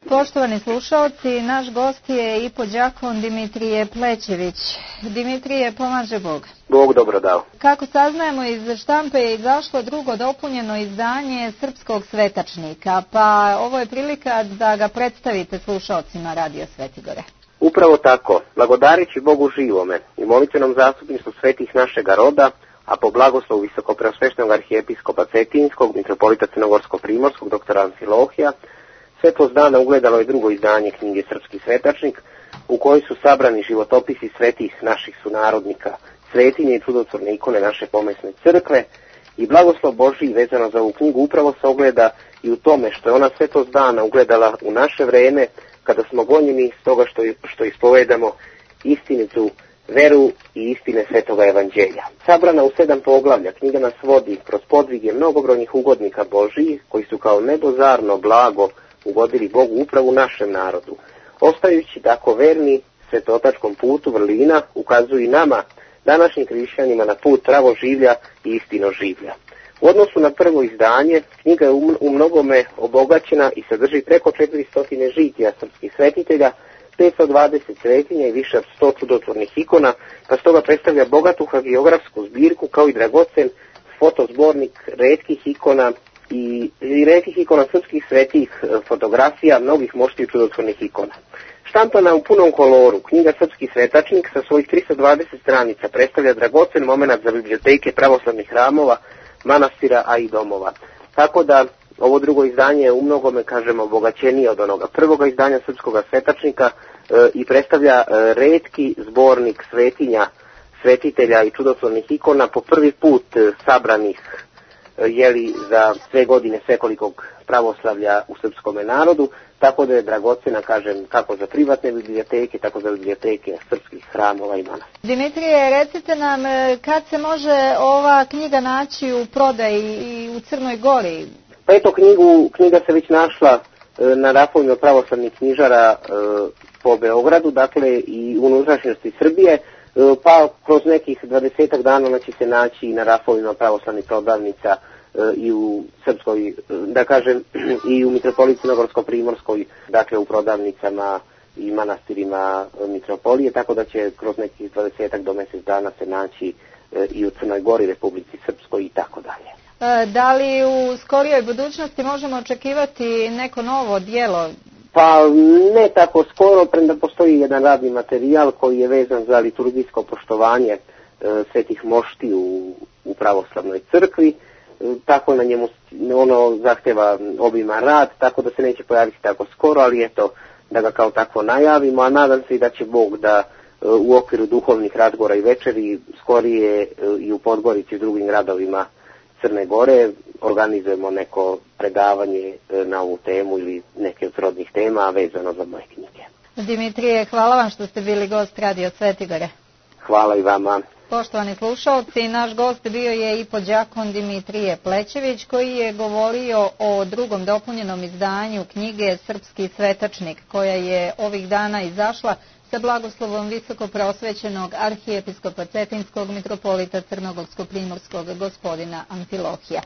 Poštovani slušalci, naš gost je ipođakon Dimitrije Plećević. Dimitrije, pomaže Bog. Bog dobro dao. Kako saznajemo, iz štampe je izašlo drugo dopunjeno izdanje Srpskog svetačnika, pa ovo je prilika da ga predstavite slušalcima Radio Svetigore. Upravo tako, blagodarići Bogu živome i molitvenom zastupništvu svetih našega roda, a po blagoslovu visokopreosveštenog arhijepiskopa Cetinskog, mitropolita Crnogorsko-primorskog, doktora Amfilohija, svetlost dana ugledalo je drugo izdanje knjige Srpski svetačnik, u kojoj su sabrani životopisi svetih naših sunarodnika, svetinje i čudotvorne ikone naše pomesne crkve, i blagoslov Božji vezano za ovu knjigu upravo se ogleda i u tome što je ona svetlost dana ugledala u naše vreme, kada smo gonjeni s toga što ispovedamo istinitu veru i istine Svetoga evanđelja. Sabrana u 7 poglavlja, knjiga nas vodi kroz podvige mnogobrojnih ugodnika Božijih, koji su kao nebozarno blago ugodili Bogu upravo u našem narodu. Ostajući tako verni svetotačkom putu vrlina, ukazuju i nama, današnjim hrišćanima, na put pravoživlja i istinoživlja. U odnosu na prvo izdanje, knjiga je u mnogome obogaćena i sadrži preko 400 žitija srpskih svetitelja, 520 svetinja i više od 100 čudotvornih ikona, pa stoga predstavlja bogatu hagiografsku zbirku kao i dragocen fotozbornik retkih ikona i retkih ikona srpskih svetih fotografija, mnogih moštih čudotvornih ikona. Štampana u punom koloru, knjiga Srpski svetačnik sa svojih 320 stranica predstavlja dragocen moment za biblioteke pravoslavnih hramova, manastira, a i domova. Tako da ovo drugo izdanje je u mnogome, kažemo, obogaćenije od onoga prvoga izdanja Srpskoga svetačnika i predstavlja retki zbornik svetinja, svetitelja i čudotvornih ikona po prvi put sabranih za sve godine svekolikog pravoslavlja u srpskome narodu, tako da je dragocena, kažem, kako za privatne biblioteke, tako za biblioteke srpskih hramova i manastira. Dimitrije, recite nam kad se može ova knjiga naći u prodaji i u Crnoj Gori? Pa eto, knjiga se već našla na rafovima pravoslavnih knjižara po Beogradu, dakle i u unutrašnjosti Srbije, pa kroz nekih 20 dana ona će se naći i na rafovima pravoslavnih prodavnica i u Srpskoj, da kažem, i u mitropoliji Crnogorsko-primorskoj, dakle u prodavnicama i manastirima mitropolije, tako da će kroz nekih 20 do mjesec dana se naći i u Crnoj Gori, Republici Srpskoj i tako dalje. Da li u skorijoj budućnosti možemo očekivati neko novo djelo? Pa ne tako skoro, premda postoji jedan radni materijal koji je vezan za liturgijsko poštovanje svetih mošti u pravoslavnoj crkvi, tako na njemu ono zahtjeva obiman rad, tako da se neće pojaviti tako skoro, ali eto da ga kao takvo najavimo, a nadam se i da će Bog da u okviru duhovnih razgovora i večeri skorije i u Podgorici i drugim gradovima Crne Gore organizujemo neko predavanje na ovu temu ili neke od srodnih tema vezano za moje knjige. Dimitrije, hvala vam što ste bili gost Radio Svetigore. Hvala i vama. Poštovani slušalci, naš gost bio je ipođakon Dimitrije Plećević, koji je govorio o drugom dopunjenom izdanju knjige Srpski svetačnik, koja je ovih dana izašla sa blagoslovom visokopreosvećenog arhijepiskopa Cetinskog, mitropolita Crnogorsko-primorskog gospodina Amfilohija.